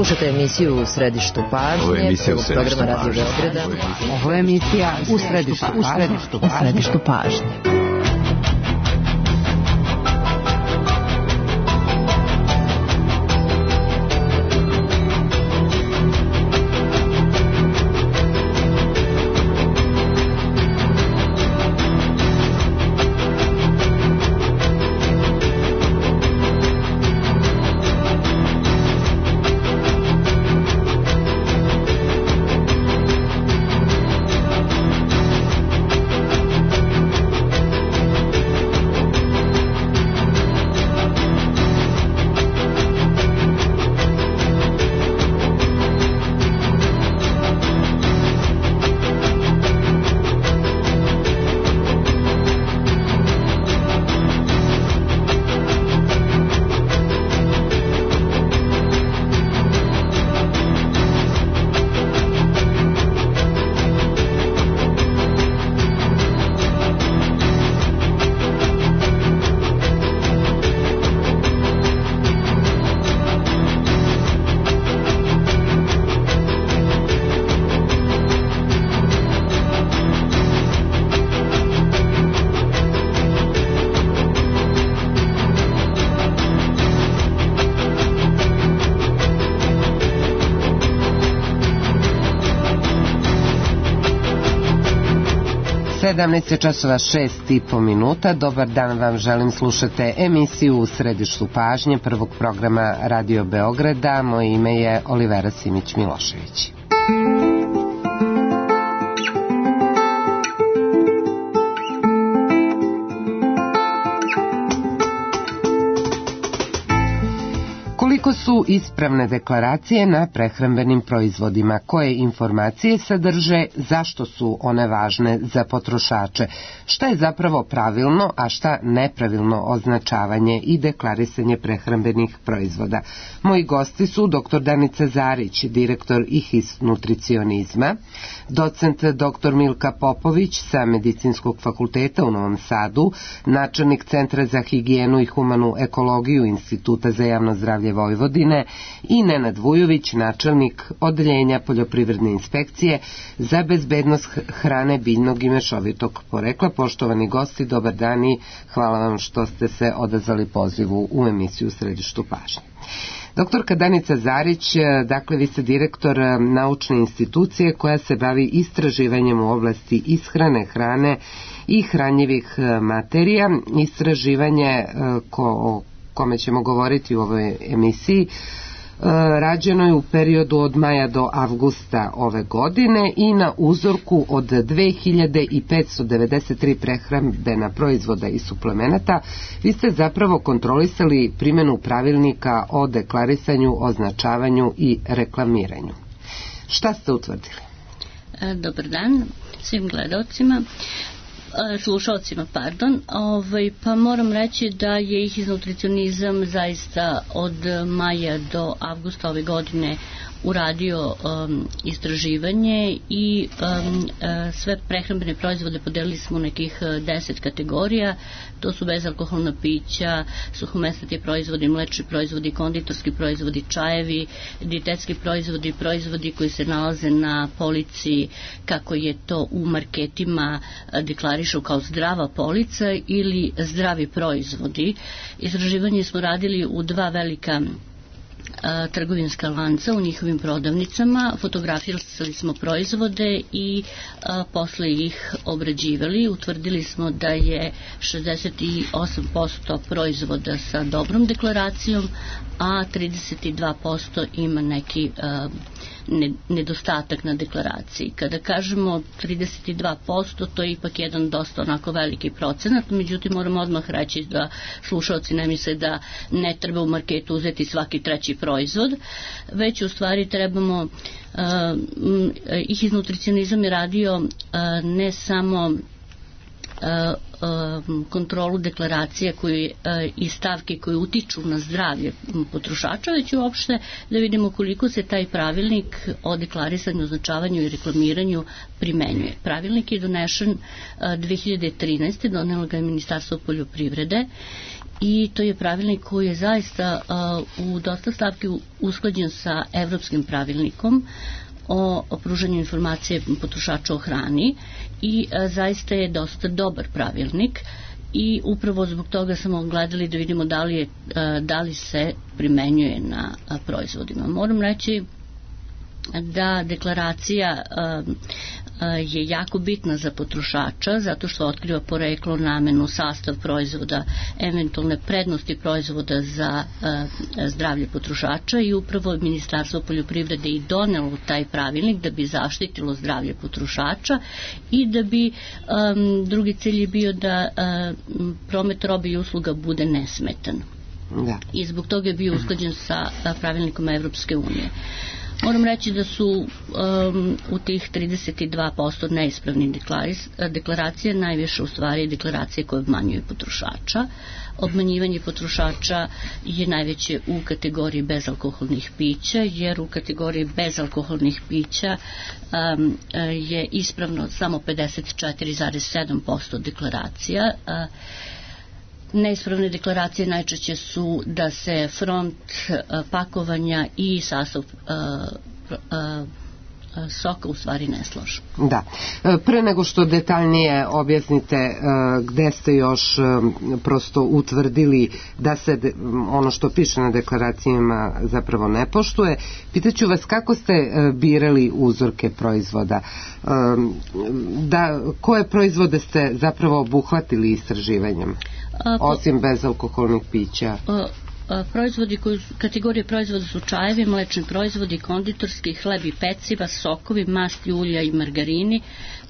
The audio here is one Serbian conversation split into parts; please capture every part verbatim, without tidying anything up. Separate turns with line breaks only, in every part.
Slušajte emisiju U središtu pažnje, prvog programa Radio Beograda.
Ovo je emisija U središtu pažnje. U središtu pažnje. sedamnaest časova šest i po minuta. Dobar dan vam želim, slušate emisiju U središtu pažnje prvog programa Radio Beograda. Moje ime je Olivera Simić-Milošević. Koliko su ispravne deklaracije na prehrambenim proizvodima, koje informacije sadrže, zašto su one važne za potrošače, šta je zapravo pravilno, a šta nepravilno označavanje i deklarisanje prehrambenih proizvoda. Moji gosti su doktor Danica Zarić, direktor I H I S nutricionizma, docent doktor Milka Popović sa Medicinskog fakulteta u Novom Sadu, načelnik Centra za higijenu i humanu ekologiju Instituta za javno zdravlje Vojvodine i Nenad Vujović, načelnik Odeljenja poljoprivredne inspekcije za bezbednost hrane biljnog i mešovitog porekla. Poštovani gosti, dobar dan i hvala vam što ste se odazvali pozivu u emisiju U središtu pažnje. Doktorka Danica Zarić, dakle vi ste direktor naučne institucije koja se bavi istraživanjem u oblasti ishrane, hrane i hranjivih materija. Istraživanje ko, o kome ćemo govoriti u ovoj emisiji rađeno je u periodu od maja do avgusta ove godine i na uzorku od dve hiljade petsto devedeset tri prehrambena proizvoda i suplemenata. Vi ste zapravo kontrolisali primjenu pravilnika o deklarisanju, označavanju i reklamiranju. Šta ste utvrdili?
Dobar dan svim gledalcima. slušalcima, pardon, ovaj, pa moram reći da je I H I S nutricionizam zaista od maja do avgusta ove godine uradio um, istraživanje i um, uh, sve prehrambene proizvode podelili smo u nekih deset kategorija. To su bezalkoholna pića, suhomesnati proizvodi, mlečni proizvodi, konditorski proizvodi, čajevi, dijetetski proizvodi, proizvodi koji se nalaze na polici kako je to u marketima deklarišu kao zdrava polica ili zdravi proizvodi. Istraživanje smo radili u dva velika trgovinska lanca u njihovim prodavnicama, fotografirali smo proizvode i a, posle ih obrađivali. Utvrdili smo da je šezdeset osam posto proizvoda sa dobrom deklaracijom, a trideset dva posto ima neki a, ne, nedostatak na deklaraciji. Kada kažemo trideset dva posto, to je ipak jedan dosta onako veliki procenat, međutim moramo odmah reći da slušalci ne misle da ne treba u marketu uzeti svaki treći proizvod, već u stvari trebamo, uh, I H I S nutricionizam je radio uh, ne samo kontrolu deklaracija koji, i stavke koje utiču na zdravlje potrošača, već uopšte da vidimo koliko se taj pravilnik o deklarisanju, označavanju i reklamiranju primenjuje. Pravilnik je donešen dve hiljade trinaeste. donelo ga je Ministarstvo poljoprivrede i to je pravilnik koji je zaista u dosta stavki usklađen sa evropskim pravilnikom o, o pružanju informacije potrošača o hrani i zaista je dosta dobar pravilnik i upravo zbog toga smo gledali da vidimo da li, je, da li se primenjuje na proizvodima. Moram reći da deklaracija je jako bitna za potrošača zato što otkriva poreklo, namenu, sastav proizvoda, eventualne prednosti proizvoda za zdravlje potrošača i upravo Ministarstvo poljoprivrede i donelo taj pravilnik da bi zaštitilo zdravlje potrošača i da bi um, drugi cilj je bio da um, promet robe i usluga bude nesmetan. Da. I zbog toga je bio usklađen sa pravilnikom Evropske unije. Moram reći da su um, u tih trideset dva posto neispravnih deklaracija najviše u stvari deklaracije koje obmanjuju potrošača. Obmanjivanje potrošača je najveće u kategoriji bezalkoholnih pića, jer u kategoriji bezalkoholnih pića um, je ispravno samo pedeset četiri zarez sedam posto deklaracija. Uh, Neispravne deklaracije najčešće su da se front pakovanja i sastav soka u stvari ne složu.
Da. Pre nego što detaljnije objasnite gde ste još prosto utvrdili da se ono što piše na deklaracijama zapravo ne poštuje, pitaću vas kako ste birali uzorke proizvoda, da, koje proizvode ste zapravo obuhvatili istraživanjem? Osim bezalkoholnih pića.
Proizvodi koji, kategorije proizvoda su čajevi, mlečni proizvodi, konditorski, hleb i peciva, sokovi, masti, ulja i margarini,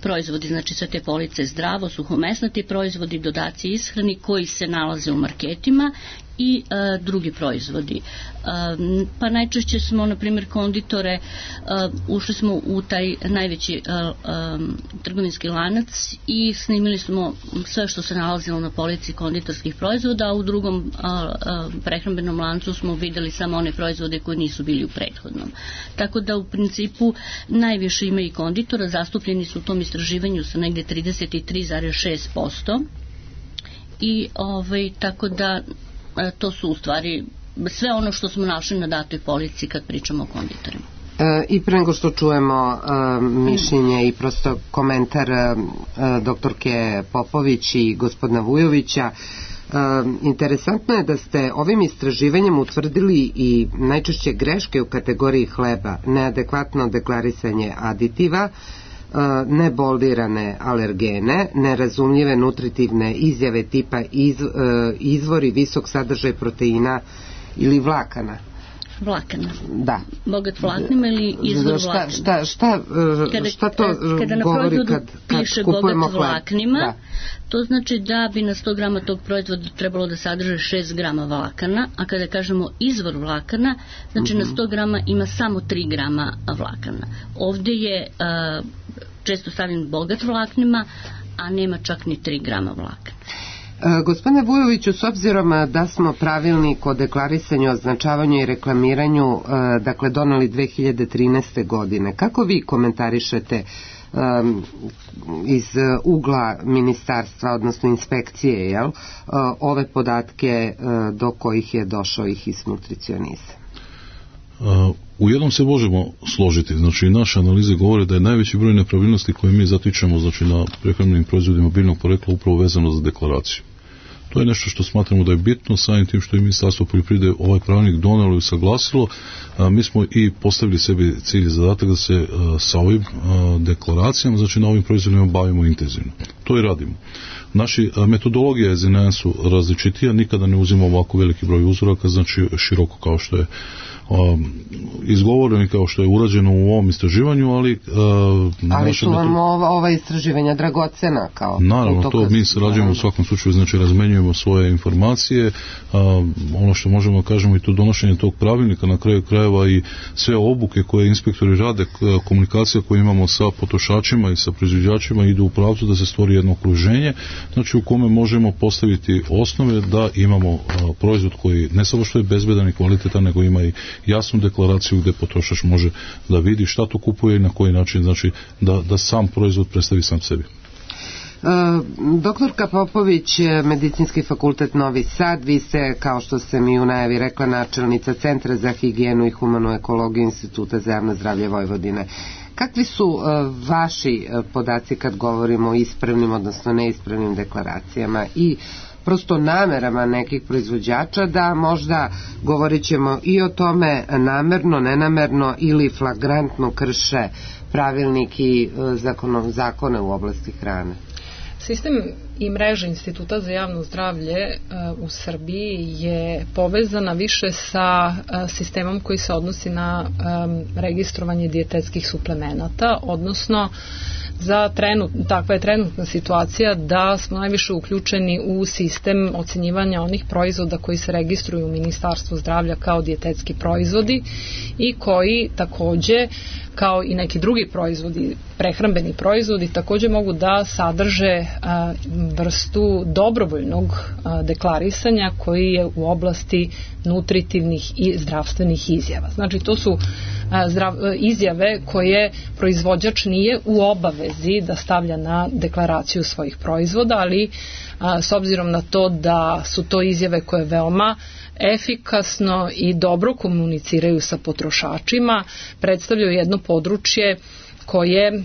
proizvodi, znači sve te police zdravo, suhomesnati proizvodi, dodaci ishrani koji se nalaze u marketima i a, drugi proizvodi. A, pa najčešće smo, na primjer, konditore, a, ušli smo u taj najveći a, a, trgovinski lanac i snimili smo sve što se nalazilo na polici konditorskih proizvoda, a u drugom a, a, prehrambenom lancu smo videli samo one proizvode koji nisu bili u prethodnom. Tako da u principu najviše ima i konditora, zastupljeni su u tom istraživanju sa negde trideset tri zarez šest posto i ovaj, tako da to su u stvari sve ono što smo našli na datoj polici kad pričamo o konditorima.
E, I pre nego što čujemo e, mišljenje i prosto komentar e, doktorke Popović i gospodina Vujovića, e, interesantno je da ste ovim istraživanjem utvrdili i najčešće greške u kategoriji hleba, neadekvatno deklarisanje aditiva, neboldirane alergene, nerazumljive nutritivne izjave tipa iz, izvori visok sadržaj proteina ili vlakana.
Vlakana.
Da.
Bogat vlaknima ili izvor
šta,
vlakana.
Šta, šta,
kada,
šta to
kada na
govori kad, kad
piše
kupujemo
bogat vlaknima,
da.
To znači da bi na sto grama tog proizvoda trebalo da sadrže šest grama vlakana, a kada kažemo izvor vlakana, znači mm-hmm. na sto grama ima samo tri grama vlakana. Ovde je uh, često stavljen bogat vlaknima, a nema čak ni tri grama vlakana.
E, gospodine Vujoviću, s obzirom da smo pravilnik o deklarisanju, označavanju i reklamiranju e, dakle doneli dve hiljade trinaeste. godine, kako vi komentarišete e, iz ugla ministarstva, odnosno inspekcije, jel, e, ove podatke e, do kojih je došao ih iz nutricionista?
Uh, u jednom se možemo složiti, znači naše analize govore da je najveći broj nepravilnosti koje mi zatičemo, znači na prehrambenim proizvodima biljnog porekla upravo vezano za deklaraciju. To je nešto što smatramo da je bitno, samim tim što je Ministarstvo poljoprivrede ovaj pravilnik donelo i saglasilo. A, mi smo i postavili sebi cilj i zadatak da se a, sa ovim a, deklaracijama, znači na ovim proizvodima bavimo intenzivno. To i radimo. Naši a, metodologije za nas su različitija, nikada ne uzimamo ovako veliki broj uzoraka, znači široko kao što je Um, izgovoreno i kao što je urađeno u ovom istraživanju, ali uh,
ali su vam ova, ova istraživanja dragocena kao
naravno, to mi sarađujemo u svakom slučaju, znači razmenjujemo svoje informacije, uh, ono što možemo da kažemo i to donošenje tog pravilnika na kraju krajeva i sve obuke koje inspektori rade, komunikacija koju imamo sa potrošačima i sa proizvođačima idu u pravcu da se stvori jedno okruženje, znači u kome možemo postaviti osnove da imamo uh, proizvod koji ne samo što je bezbedan i kvalitetan, nego ima i jasnu deklaraciju gdje potrošač može da vidi šta to kupuje i na koji način, znači da, da sam proizvod predstavi sam sebi.
Doktorka Popović, Medicinski fakultet Novi Sad, vi ste, kao što ste mi u najavi rekla, načelnica Centra za higijenu i humanu ekologiju Instituta za javno zdravlje Vojvodine. Kakvi su vaši podaci kad govorimo o ispravnim, odnosno neispravnim deklaracijama i prosto namerama nekih proizvođača da možda, govorit ćemo i o tome, namerno, nenamerno ili flagrantno krše pravilnik i zakone u oblasti hrane?
Sistem i mreža Instituta za javno zdravlje u Srbiji je povezana više sa sistemom koji se odnosi na registrovanje dijetetskih suplemenata, odnosno za trenut, takva je trenutna situacija da smo najviše uključeni u sistem ocenjivanja onih proizvoda koji se registruju u Ministarstvu zdravlja kao dijetetski proizvodi i koji takođe, kao i neki drugi proizvodi, prehrambeni proizvodi, takođe mogu da sadrže a, vrstu dobrovoljnog a, deklarisanja koji je u oblasti nutritivnih i zdravstvenih izjava. Znači, to su a, zdrav, izjave koje proizvođač nije u obavezi da stavlja na deklaraciju svojih proizvoda, ali a, s obzirom na to da su to izjave koje veoma efikasno i dobro komuniciraju sa potrošačima, predstavljaju jedno područje koje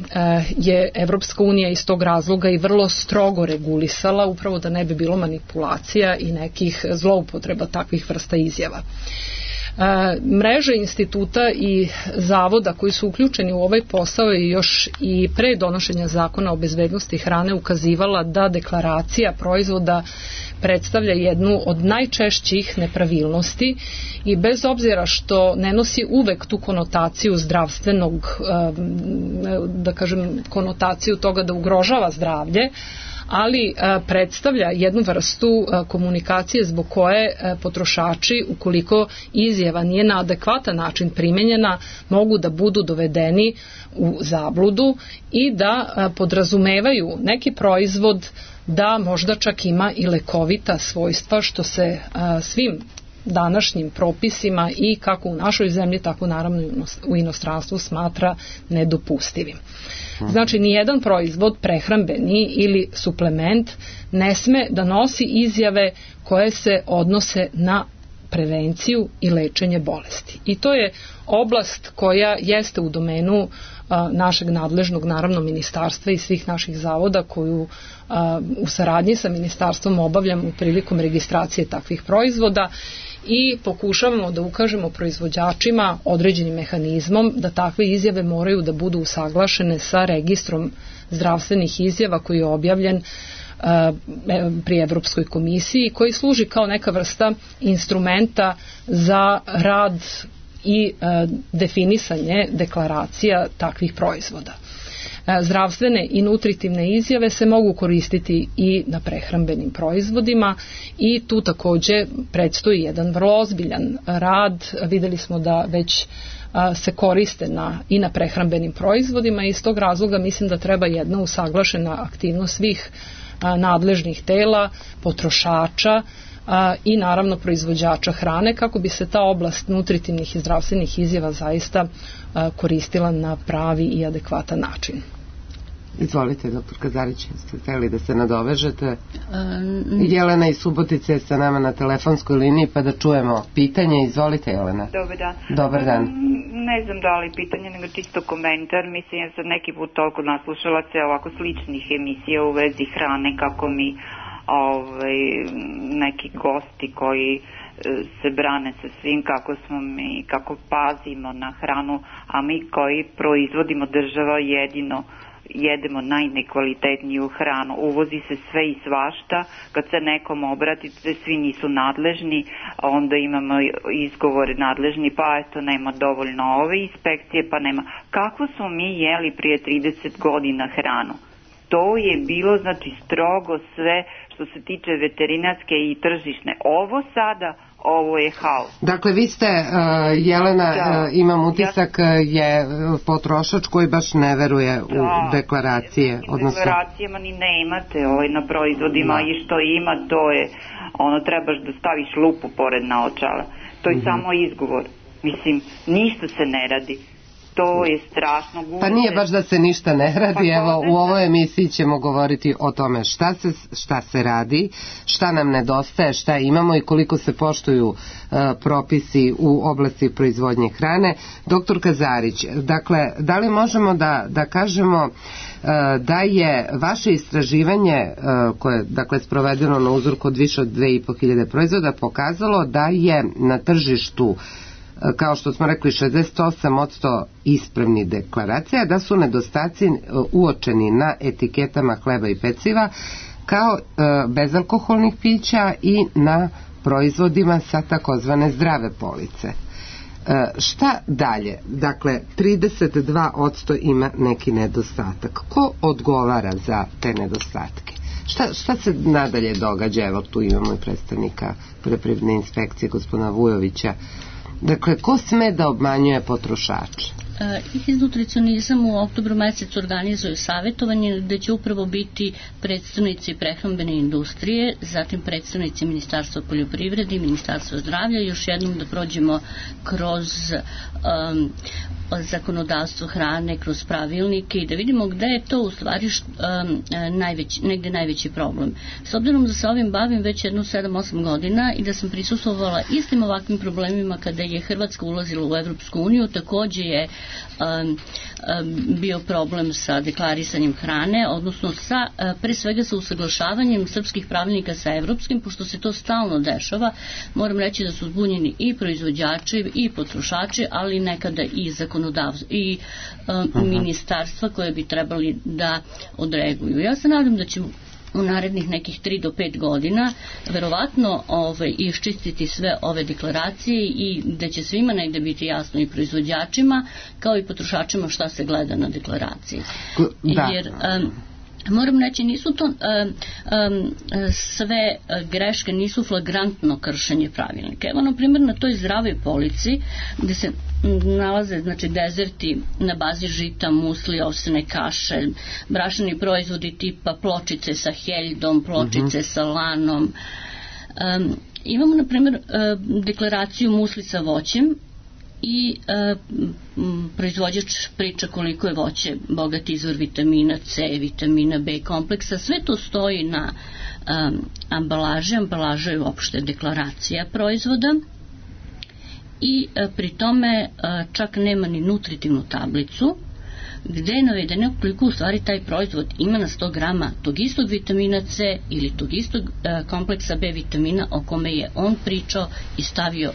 je Evropska unija iz tog razloga i vrlo strogo regulisala, upravo da ne bi bilo manipulacija i nekih zloupotreba takvih vrsta izjava. Mreža instituta i zavoda koji su uključeni u ovaj posao i još i pre donošenja zakona o bezbednosti hrane ukazivala da deklaracija proizvoda predstavlja jednu od najčešćih nepravilnosti i bez obzira što ne nosi uvek tu konotaciju zdravstvenog, da kažem, konotaciju toga da ugrožava zdravlje, ali predstavlja jednu vrstu komunikacije zbog koje potrošači, ukoliko izjava nije na adekvatan način primenjena, mogu da budu dovedeni u zabludu i da podrazumevaju neki proizvod da možda čak ima i lekovita svojstva, što se svim današnjim propisima i kako u našoj zemlji, tako naravno u inostranstvu smatra nedopustivim. Znači, nijedan proizvod prehrambeni ili suplement ne sme da nosi izjave koje se odnose na prevenciju i lečenje bolesti. I to je oblast koja jeste u domenu a, našeg nadležnog, naravno, ministarstva i svih naših zavoda koju a, u saradnji sa ministarstvom obavljamo prilikom registracije takvih proizvoda i pokušavamo da ukažemo proizvođačima određenim mehanizmom da takve izjave moraju da budu usaglašene sa registrom zdravstvenih izjava koji je objavljen pri Evropskoj komisiji, koji služi kao neka vrsta instrumenta za rad i definisanje deklaracija takvih proizvoda. Zdravstvene i nutritivne izjave se mogu koristiti i na prehrambenim proizvodima i tu takođe predstoji jedan vrlo ozbiljan rad. Videli smo da već se koriste na, i na prehrambenim proizvodima i iz tog razloga mislim da treba jedna usaglašena aktivnost svih nadležnih tela, potrošača i naravno proizvođača hrane kako bi se ta oblast nutritivnih i zdravstvenih izjava zaista koristila na pravi i adekvatan način.
Izvolite, doktor Kazarić, ste hteli da se nadovežete? Um, Jelena iz Subotice je sa nama na telefonskoj liniji, pa da čujemo pitanje. Izvolite, Jelena.
Dobar dan.
Dobar dan.
Ne znam da li pitanje, nego čisto komentar. Mislim, ja sam neki put toliko naslušala se ovako sličnih emisija u vezi hrane, kako mi ovaj, neki gosti koji se brane sa svim, kako smo mi, kako pazimo na hranu, a mi koji proizvodimo država jedino jedemo najnekvalitetniju hranu. Uvozi se sve i svašta, kad se nekom obratite, svi nisu nadležni, onda imamo izgovore nadležni, pa eto, nema dovoljno ove inspekcije, pa nema. Kako smo mi jeli prije trideset godina hranu? To je bilo, znači, strogo sve što se tiče veterinarske i tržišne. Ovo sada, ovo je haos.
Dakle, vi ste, uh, Jelena, da. uh, imam utisak, ja, je potrošač koji baš ne veruje da, u deklaracije.
U odnosno... deklaracijama ni ne imate ovaj, na proizvodima da. I što ima, to je, ono, trebaš da staviš lupu pored naočala. To je mm-hmm. samo izgovor. Mislim, ništa se ne radi. to je strašno. Gubite.
Pa nije baš da se ništa ne radi, pa, evo u ovoj emisiji ćemo govoriti o tome šta se, šta se radi, šta nam nedostaje, šta imamo i koliko se poštuju uh, propisi u oblasti proizvodnje hrane. Doktor Kazarić, dakle, da li možemo da, da kažemo uh, da je vaše istraživanje uh, koje je dakle sprovedeno na uzorku od više od dve i po hiljade proizvoda pokazalo da je na tržištu, kao što smo rekli, šezdeset osam posto ispravnih deklaracija, da su nedostaci uočeni na etiketama hleba i peciva kao bezalkoholnih pića i na proizvodima sa takozvane zdrave police. Šta dalje? Dakle, trideset dva posto ima neki nedostatak. Ko odgovara za te nedostatke? Šta, šta se nadalje događa? Evo, tu imamo i predstavnika poljoprivredne inspekcije, gospodina Vujovića. Dakle, ko sme da obmanjuje potrošače?
IHIZ Nutricionizam u oktobru mesecu organizuje savjetovanje gde će upravo biti predstavnici prehrambene industrije, zatim predstavnici Ministarstva poljoprivrede i Ministarstva zdravlja, još jednom da prođemo kroz um, zakonodavstvo hrane, kroz pravilnike i da vidimo gde je to u stvari um, najveći, negde najveći problem. S obzirom da se ovim bavim već jedno sedam osam godina i da sam prisustvovala istim ovakvim problemima kada je Hrvatska ulazila u Evropsku uniju, takođe je Um, um, bio problem sa deklarisanjem hrane, odnosno sa, uh, pre svega sa usaglašavanjem srpskih pravilnika sa evropskim, pošto se to stalno dešava. Moram reći da su zbunjeni i proizvođači i potrošači, ali nekada i zakonodavstvo i um, ministarstva koje bi trebali da odreaguju. Ja se nadam da ćemo u narednih nekih tri do pet godina verovatno ovaj, iščistiti sve ove deklaracije i da će svima negde biti jasno i proizvođačima kao i potrošačima šta se gleda na deklaraciji. Da. Jer um, moram reći, nisu to um, um, sve greške, nisu flagrantno kršenje pravilnika. Evo, na primjer, na toj zdravoj polici gde se nalaze, znači, dezerti na bazi žita, musli, ovsene kaše, brašni proizvodi tipa pločice sa heljdom, pločice uh-huh. sa lanom. Um, imamo, na primjer, uh, deklaraciju musli sa voćem i e, m, proizvođač priča koliko je voće bogat izvor vitamina C, vitamina B kompleksa, sve to stoji na um, ambalaži, ambalaža je uopšte deklaracija proizvoda i e, pri tome e, čak nema ni nutritivnu tablicu gde je navedeno koliko u stvari taj proizvod ima na sto grama tog istog vitamina C ili tog istog e, kompleksa B vitamina o kome je on pričao i stavio e,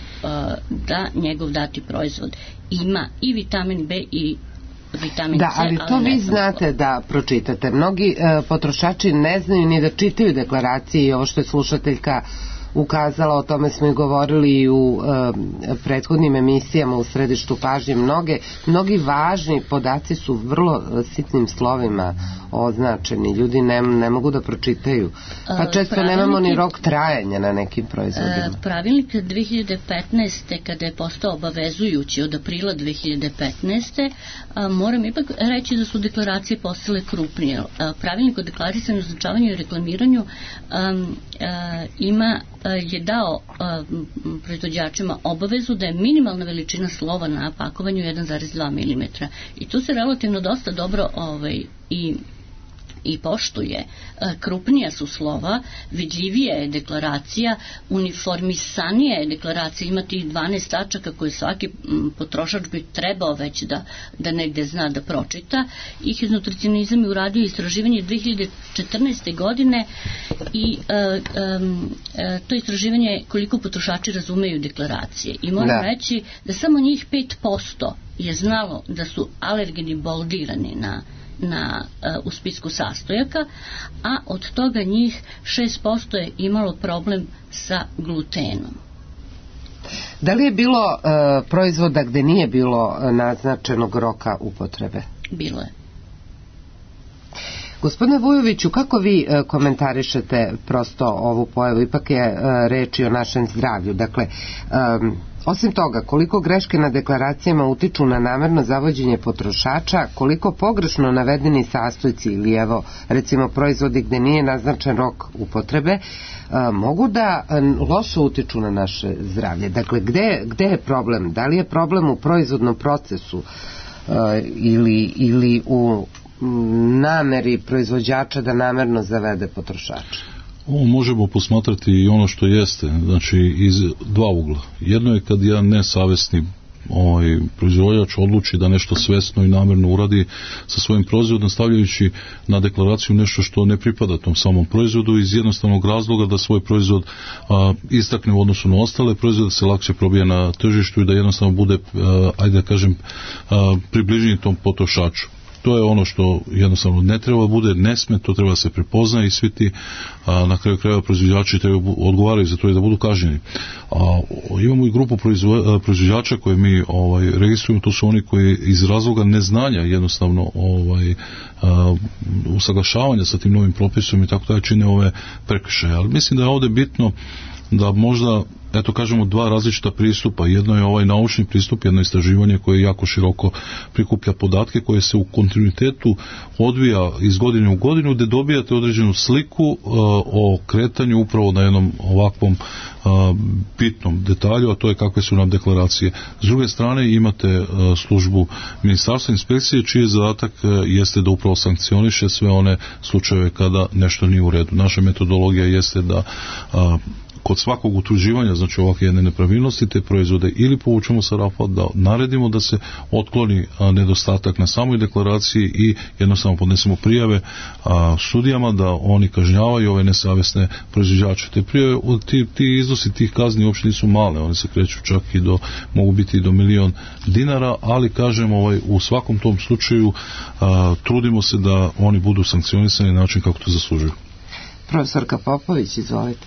da njegov dati proizvod ima i vitamin B i vitamin
da,
C.
ali to ali vi znate da pročitate. Mnogi e, potrošači ne znaju ni da čitaju deklaracije i ovo što je slušateljka ukazala, o tome smo i govorili i u e, prethodnim emisijama u središtu pažnje. Mnoge, mnogi važni podaci su vrlo sitnim slovima označeni. Ljudi ne, ne mogu da pročitaju. Pa često pravilnik, nemamo ni rok trajanja na nekim proizvodima.
Pravilnik dve hiljade petnaeste kada je postao obavezujući od aprila dve hiljade petnaeste a, moram ipak reći da su deklaracije postale krupnije. A, pravilnik o deklarisanju, označavanju i reklamiranju a, a, ima je dao a, proizvođačima obavezu da je minimalna veličina slova na pakovanju jedan zarez dva milimetra. I tu se relativno dosta dobro ovaj, i i poštuje. Krupnija su slova, vidljivija je deklaracija, uniformisanija je deklaracija, ima tih dvanaest tačaka koje svaki potrošač bi trebao već da, da negde zna da pročita. IHIZ Nutricionizam je uradio istraživanje dve hiljade četrnaeste godine i uh, um, uh, to istraživanje je koliko potrošači razumeju deklaracije. I moram da. reći da samo njih pet posto je znalo da su alergeni boldirani na na, uh, u spisku sastojaka, a od toga njih šest posto je imalo problem sa glutenom.
Da li je bilo uh, proizvoda gde nije bilo naznačenog roka upotrebe?
Bilo je.
Gospodine Vujoviću, kako vi uh, komentarišete prosto ovu pojavu? Ipak je uh, reč i o našem zdravlju. Dakle, um, osim toga, koliko greške na deklaracijama utiču na namerno zavođenje potrošača, koliko pogrešno navedeni sastojci ili evo recimo proizvodi gde nije naznačen rok upotrebe a, mogu da a, loše utiču na naše zdravlje. Dakle, gde, gde je problem? Da li je problem u proizvodnom procesu? ili, ili u nameri proizvođača da namerno zavede potrošača?
O, možemo posmatrati i ono što jeste, znači iz dva ugla. Jedno je kad jedan nesavesni ovaj proizvođač odluči da nešto svesno i namjerno uradi sa svojim proizvodom, stavljajući na deklaraciju nešto što ne pripada tom samom proizvodu, iz jednostavnog razloga da svoj proizvod a, istakne u odnosu na ostale proizvode, da se lakše probije na tržištu i da jednostavno bude, a, ajde da kažem, a, približniji tom potrošaču. To je ono što jednostavno ne treba bude, ne sme, to treba se prepoznaje i svi ti a, na kraju krajeva proizvođači treba odgovaraju za to i da budu kažnjeni. A, imamo i grupu proizvo, proizvođača koje mi ovaj, registrujemo, to su oni koji iz razloga neznanja jednostavno ovaj, a, usaglašavanja sa tim novim propisom i tako da čine ove prekršaje. Ali mislim da je ovdje bitno da možda, eto kažemo, dva različita pristupa. Jedno je ovaj naučni pristup, jedno istraživanje koje jako široko prikuplja podatke, koje se u kontinuitetu odvija iz godine u godinu, gdje dobijate određenu sliku uh, o kretanju upravo na jednom ovakvom uh, bitnom detalju, a to je kakve su nam deklaracije. S druge strane imate uh, službu Ministarstva inspekcije, čiji zadatak uh, jeste da upravo sankcioniše sve one slučajeve kada nešto nije u redu. Naša metodologija jeste da uh, kod svakog utvrđivanja, znači ovakve jedne nepravilnosti, te proizvode ili povučemo sa rafa, da naredimo da se otkloni a, nedostatak na samoj deklaraciji i jednostavno podnesemo prijave a, sudijama da oni kažnjavaju ove nesavesne proizvođače. Te prijave, ti, ti iznosi tih kazni uopšte nisu male, one se kreću čak i do, mogu biti i do milion dinara, ali kažem, ovaj, u svakom tom slučaju a, trudimo se da oni budu sankcionisani na način kako to zaslužuju.
Profesorka Popović, izvolite.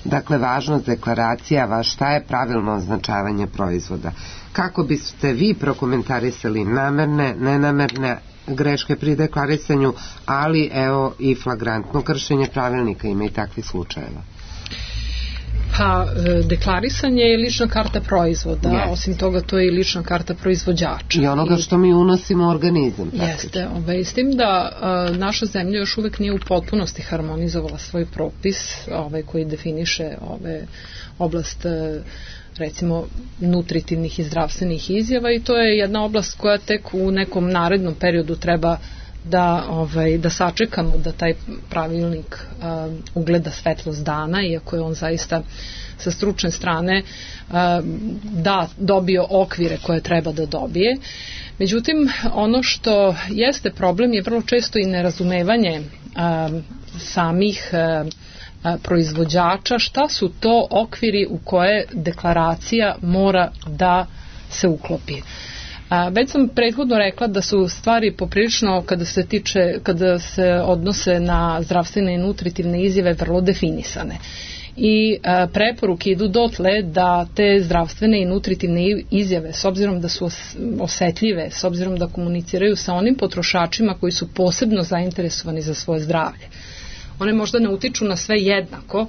Dakle, važnost deklaracija, šta je pravilno označavanje proizvoda? Kako biste vi prokomentarisali namerne, nenamerne greške pri deklarisanju, ali evo i flagrantno kršenje pravilnika, ima i takvih slučajeva?
Pa, deklarisanje je lična karta proizvoda, yes. Osim toga to je i lična karta proizvođača.
I onoga što mi unosimo u organizam.
Jeste, ovaj, s tim da a, naša zemlja još uvek nije u potpunosti harmonizovala svoj propis ovaj, koji definiše ove oblast a, recimo nutritivnih i zdravstvenih izjava, i to je jedna oblast koja tek u nekom narednom periodu treba da, ovaj, da sačekamo da taj pravilnik uh, ugleda svetlost dana, iako je on zaista sa stručne strane uh, da dobio okvire koje treba da dobije. Međutim, ono što jeste problem je vrlo često i nerazumevanje uh, samih uh, proizvođača, šta su to okviri u koje deklaracija mora da se uklopi. A, već sam prethodno rekla da su stvari poprilično, kada se tiče, kada se odnose na zdravstvene i nutritivne izjave, vrlo definisane. I a, preporuke idu dotle da te zdravstvene i nutritivne izjave, s obzirom da su osetljive, s obzirom da komuniciraju sa onim potrošačima koji su posebno zainteresovani za svoje zdravlje, one možda ne utiču na sve jednako,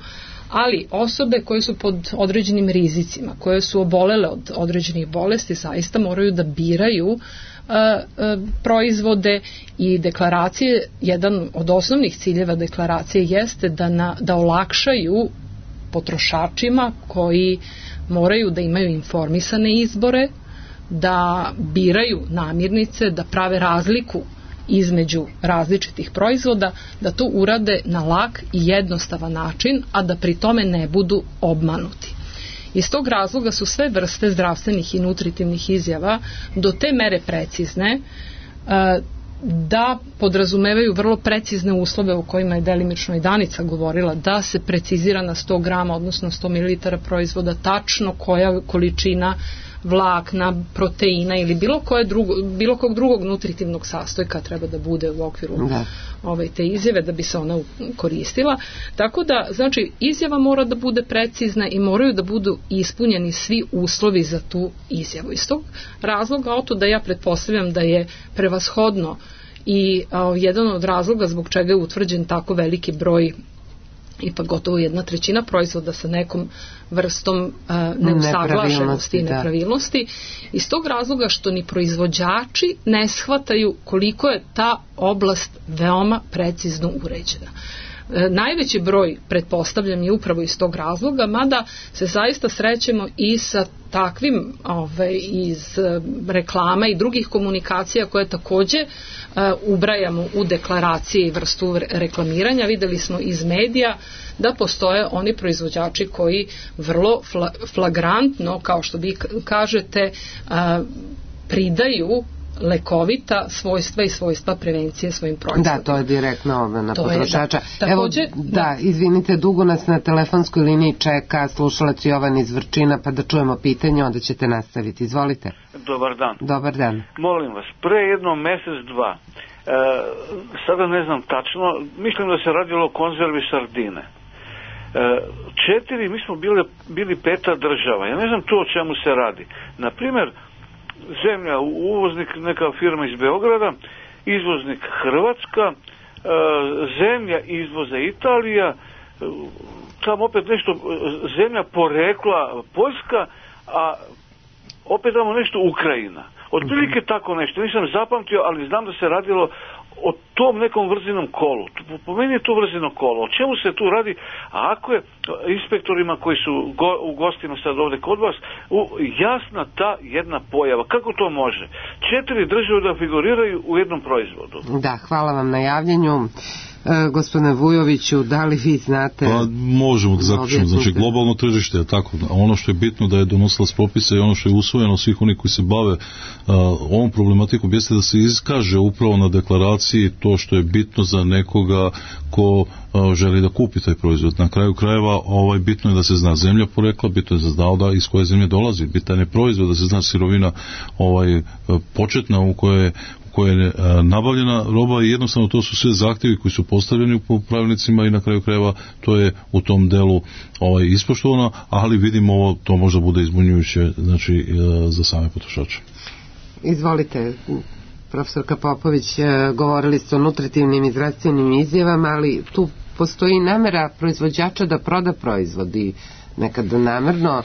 ali osobe koje su pod određenim rizicima, koje su obolele od određenih bolesti, zaista moraju da biraju uh, uh, proizvode i deklaracije. Jedan od osnovnih ciljeva deklaracije jeste da, na, da olakšaju potrošačima koji moraju da imaju informisane izbore, da biraju namirnice, da prave razliku između različitih proizvoda, da to urade na lak i jednostavan način, a da pri tome ne budu obmanuti. Iz tog razloga su sve vrste zdravstvenih i nutritivnih izjava do te mere precizne da podrazumevaju vrlo precizne uslove o kojima je delimično i Danica govorila, da se precizira na sto grama, odnosno sto mililitara proizvoda, tačno koja količina vlakna, proteina ili bilo, koje drugo, bilo kog drugog nutritivnog sastojka treba da bude u okviru da. Ove, te izjave da bi se ona koristila. Tako da, znači, izjava mora da bude precizna i moraju da budu ispunjeni svi uslovi za tu izjavu. Iz tog razloga, oto da ja pretpostavljam da je prevashodno i a, jedan od razloga zbog čega je utvrđen tako veliki broj, ipak gotovo jedna trećina proizvoda sa nekom vrstom uh, neusaglašenosti i nepravilnosti, iz tog razloga što ni proizvođači ne shvataju koliko je ta oblast veoma precizno uređena. najveći broj, pretpostavljam, je upravo iz tog razloga, mada se zaista srećemo i sa takvim ovaj, iz reklama i drugih komunikacija koje takođe uh, ubrajamo u deklaracije i vrstu reklamiranja. Videli smo iz medija da postoje oni proizvođači koji vrlo fla, flagrantno, kao što vi kažete, uh, pridaju lekovita svojstva i svojstva prevencije svojim proizvodima.
Da, to je direktno ove na
to
potrošača.
Je, da. Takođe,
Evo, da, da, izvinite, dugo nas na telefonskoj liniji čeka slušalac Jovan iz Vrčina, pa da čujemo pitanje, onda ćete nastaviti. Izvolite.
Dobar dan.
Dobar dan.
Molim vas, pre jedno mesec, dva, e, sada ne znam tačno, mislim da se radilo o konzervi sardine. E, četiri, mi smo bili, bili peta država. Ja ne znam to o čemu se radi. Naprimer, zemlja, uvoznik neka firma iz Beograda, izvoznik Hrvatska, e, zemlja izvoza Italija, e, tamo opet nešto, zemlja porekla Poljska, a opet tamo nešto Ukrajina. Otprilike tako nešto, nisam zapamtio, ali znam da se radilo o tom nekom vrzinom kolu. Po meni je to vrzino kolo. O čemu se tu radi? A ako je inspektorima koji su go, u gostima sad ovde kod vas, u, jasna ta jedna pojava. Kako to može? Četiri države da figuriraju u jednom proizvodu.
Da, hvala vam na javljanju. E, gospodine Vujoviću, da li vi znate?
Pa možemo da zaključimo. Znači, globalno tržište je tako. Ono što je bitno da je donosila propise i ono što je usvojeno svih onih koji se bave uh, ovom problematikom jeste da se iskaže upravo na deklaraciji to što je bitno za nekoga ko uh, želi da kupi taj proizvod. Na kraju krajeva ovaj, bitno je da se zna zemlja porekla, bitno je da se zna da iz koje zemlje dolazi, bitan je proizvod, da se zna sirovina ovaj, početna u kojoj koja je nabavljena roba i jednostavno to su sve zahtjevi koji su postavljeni u pravilnicima i na kraju krajeva to je u tom delu ovaj, ispoštovano, ali vidimo ovo, to možda bude izbunjujuće znači, za same potrošače.
Izvolite, profesorka Popović, govorili ste o nutritivnim i zdravstvenim izjavama, ali tu postoji namera proizvođača da proda proizvod i nekad namerno,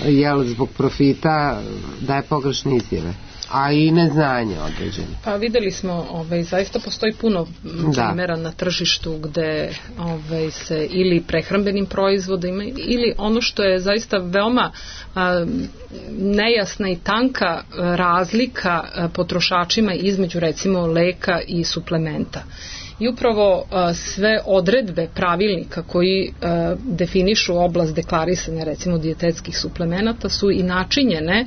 jel, zbog profita daje pogrešne izjave, a i neznanje određeno.
Pa videli smo, ovaj, zaista postoji puno primjera na tržištu gde ovaj, se ili prehrambenim proizvodima ili ono što je zaista veoma a, nejasna i tanka razlika a, potrošačima između recimo leka i suplementa. I upravo a, sve odredbe pravilnika koji a, definišu oblast deklarisanja recimo dijetetskih suplemenata su i načinjene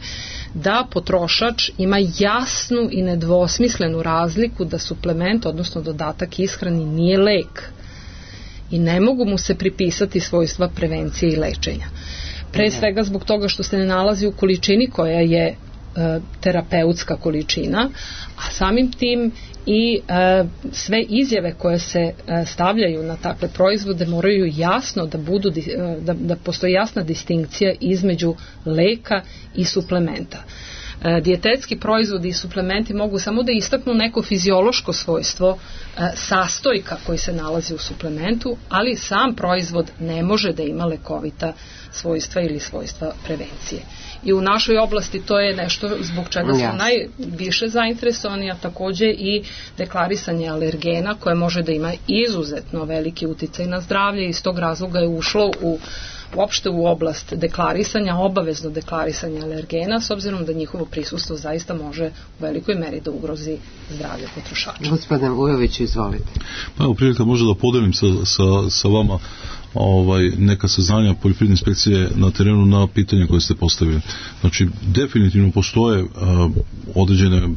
da potrošač ima jasnu i nedvosmislenu razliku da suplement, odnosno dodatak ishrani, nije lek i ne mogu mu se pripisati svojstva prevencije i lečenja. Pre svega zbog toga što se ne nalazi u količini koja je terapeutska količina, a samim tim i e, sve izjave koje se e, stavljaju na takve proizvode moraju jasno da budu da, da postoji jasna distinkcija između leka i suplementa. E, dijetetski proizvodi i suplementi mogu samo da istaknu neko fiziološko svojstvo e, sastojka koji se nalazi u suplementu, ali sam proizvod ne može da ima lekovita svojstva ili svojstva prevencije. I u našoj oblasti to je nešto zbog čega smo najviše zainteresovani, a takođe i deklarisanje alergena koje može da ima izuzetno veliki uticaj na zdravlje i iz tog razloga je ušlo u uopšte u oblast deklarisanja, obavezno deklarisanje alergena, s obzirom da njihovo prisustvo zaista može u velikoj meri da ugrozi zdravlje potrošača.
Gospodin Vujović, izvolite.
Pa evo prilika možda da podelim sa, sa, sa vama ovaj, neka saznanja poljoprivredne inspekcije na terenu na pitanje koje ste postavili. Znači, definitivno postoje uh, određene,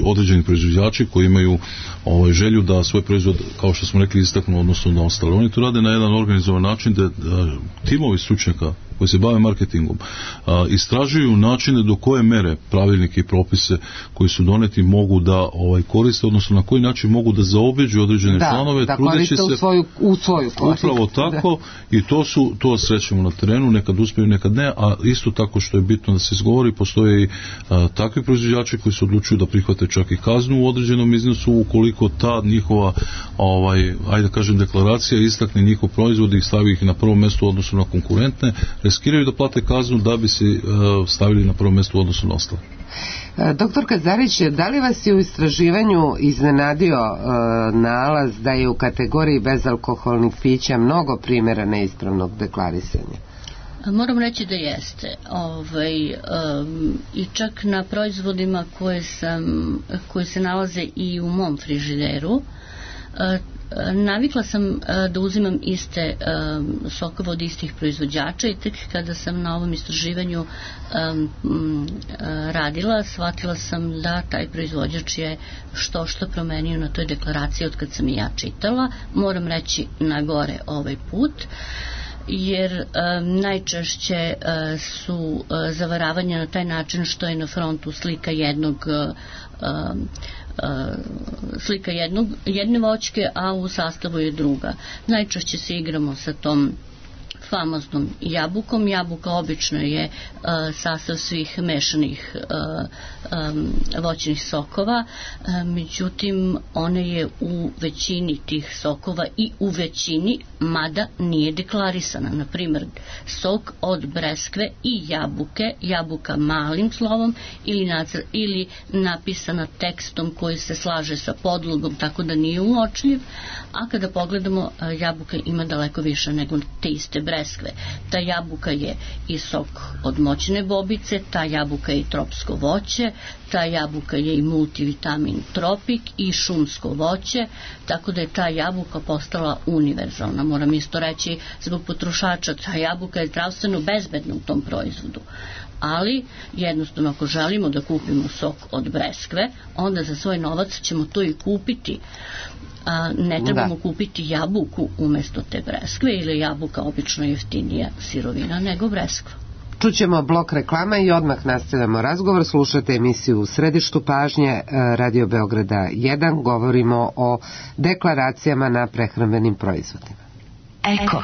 određeni proizvođači koji imaju ovaj, želju da svoj proizvod, kao što smo rekli, istaknu odnosno na ostale. Oni to rade na jedan organizovan način da uh, timovi stručnjaka koji se bave marketingom a, istražuju načine do koje mere pravilnike i propise koji su doneti mogu da ovaj, koriste, odnosno na koji način mogu da zaobiđu određene
da,
planove,
da koriste u svoju, u svoju korist.
Upravo tako da. I to su, to srećemo na terenu, nekad uspiju, nekad ne, a isto tako što je bitno da se izgovori, postoje i a, takvi proizvođači koji se odlučuju da prihvate čak i kaznu u određenom iznosu ukoliko ta njihova ovaj, ajde da kažem deklaracija istakne njihov proizvod i stavi ih na prvo mesto u odnosu na konkurentne. riskiraju da plate kaznu da bi se stavili na prvo mjesto u odnosu na ostale.
Doktor Kazarić, da li vas je u istraživanju iznenadio e, nalaz da je u kategoriji bezalkoholnih pića mnogo primjera neispravnog deklarisanja?
Moram reći da jeste. Ovaj, um, I čak na proizvodima koje, sam, koje se nalaze i u mom frižideru, uh, navikla sam uh, da uzimam iste um, sokove od istih proizvođača i tek kada sam na ovom istraživanju um, um, radila, shvatila sam da taj proizvođač je što što promenio na toj deklaraciji od kad sam i ja čitala. Moram reći na gore ovaj put, jer um, najčešće uh, su uh, zavaravanja na taj način što je na frontu slika jednog uh, um, uh, slika jednog, jedne voćke, a u sastavu je druga. Najčešće se igramo sa tom famoznom jabukom. Jabuka obično je uh, sastav svih mešanih uh, um, voćnih sokova, uh, međutim ona je u većini tih sokova i u većini, mada nije deklarisana. Na primjer, sok od breskve i jabuke, jabuka malim slovom ili, nacr, ili napisana tekstom koji se slaže sa podlogom tako da nije uočljiv, a kada pogledamo, uh, jabuka ima daleko više nego te iste breskve. Ta jabuka je i sok od moćne bobice, ta jabuka je i tropsko voće, ta jabuka je i multivitamin tropik i šumsko voće, tako da je ta jabuka postala univerzalna. Moram isto reći zbog potrošača, ta jabuka je zdravstveno bezbedna u tom proizvodu. Ali jednostavno ako želimo da kupimo sok od breskve, onda za svoj novac ćemo to i kupiti. A ne trebamo da. kupiti jabuku umjesto te breskve, ili jabuka obično jeftinija sirovina nego breskva.
Čućemo blok reklama i odmah nastavljamo razgovor. Slušate emisiju U središtu pažnje Radio Beograda jedan. Govorimo o deklaracijama na prehrambenim proizvodima.
Eko.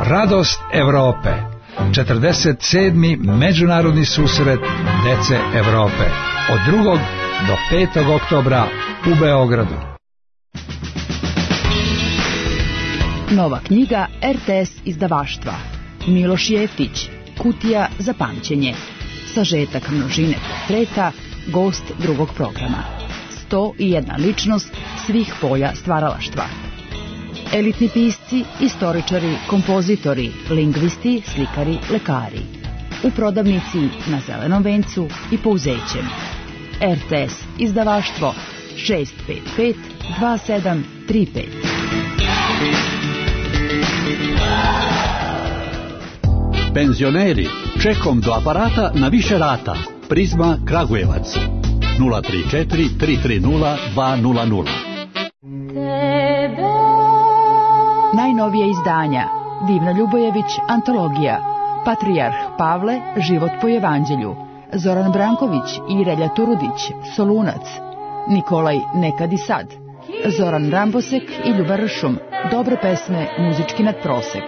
Radost Evrope. četrdeset sedmi Međunarodni susret dece Evrope. Od drugog do petog oktobra u Beogradu.
Nova knjiga R T S izdavaštva. Miloš Jeftić. Kutija za pamćenje. Sažetak množine portreta. Gost drugog programa. sto i jedna ličnost svih polja stvaralaštva. Elitni pisci, istoričari, kompozitori, lingvisti, slikari, lekari. U prodavnici na Zelenom vencu i Pouzećem. R T S izdavaštvo šest pet pet dva sedam tri pet.
Penzioneri, čekom do aparata na više rata. Prizma Kragujevac nula tri četiri tri tri nula dva nula nula.
Najnovije izdanja. Divna Ljubojević, antologija. Patrijarh Pavle, život po evanđelju. Zoran Branković i Relja Turudić, Solunac. Nikolaj, nekad i sad. Zoran Rambosek i Ljuba Ršum, dobre pesme, muzički nadprosek.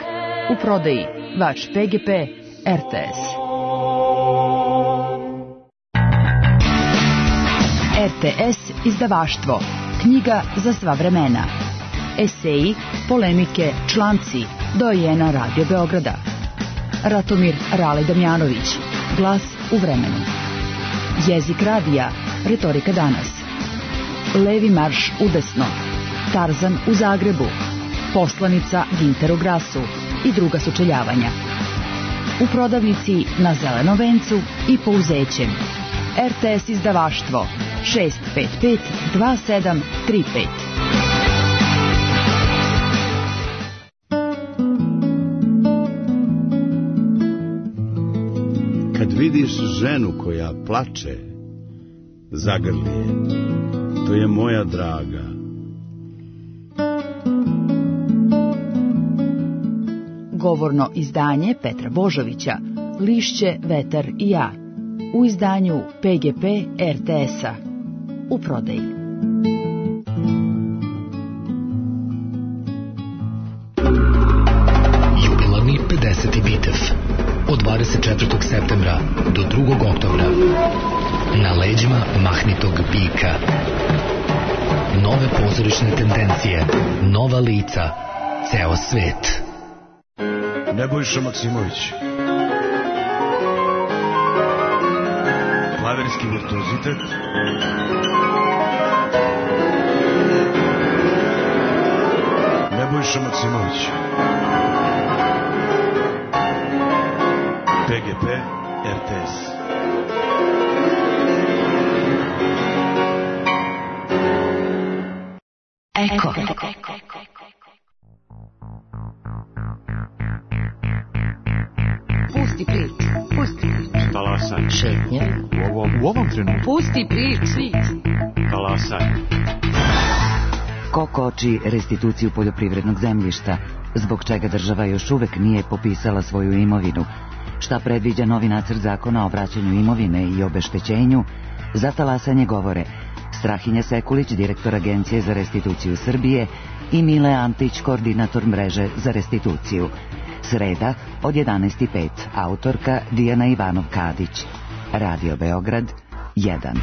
U prodaji Vač P G P, R T S. R T S izdavaštvo. Knjiga za sva vremena. Eseji, polemike, članci, dojena Radio Beograda. Ratomir Rale Damjanović, glas u vremenu. Jezik radija, retorika danas. Levi marš udesno, Tarzan u Zagrebu, poslanica Ginter u Grasu i druga sučeljavanja. U prodavnici na Zelenom vencu i Pouzećem. R T S izdavaštvo šest pet pet dva sedam tri pet.
Kad vidiš ženu koja plače, zagrli je, to je moja draga.
Govorno izdanje Petra Božovića, Lišće, vetar i ja, u izdanju P G P R T S-a, u prodaji.
Bitev. Od dvadeset četvrtog septembra do drugog oktobra. Na leđima mahnitog bika. Nove pozorišne tendencije, nova lica, ceo svet.
Nebojša Maksimović. Klavirski virtuozitet. Nebojša Maksimović. P G P R T S.
Eko.
Pusti priču. Pusti priču.
Talasaj.
Šetnje.
U ovom, u ovom trenutku.
Pusti priču.
Talasaj.
Ko koči restituciju poljoprivrednog zemljišta, zbog čega država još uvek nije popisala svoju imovinu, šta predviđa novi nacrt zakona o vraćanju imovine i obeštećenju, za talasanje govore Strahinja Sekulić, direktor Agencije za restituciju Srbije, i Mile Antić, koordinator mreže za restituciju. Sreda od jedanaest i pet, autorka Dijana Ivanov-Kadić. Radio Beograd jedan.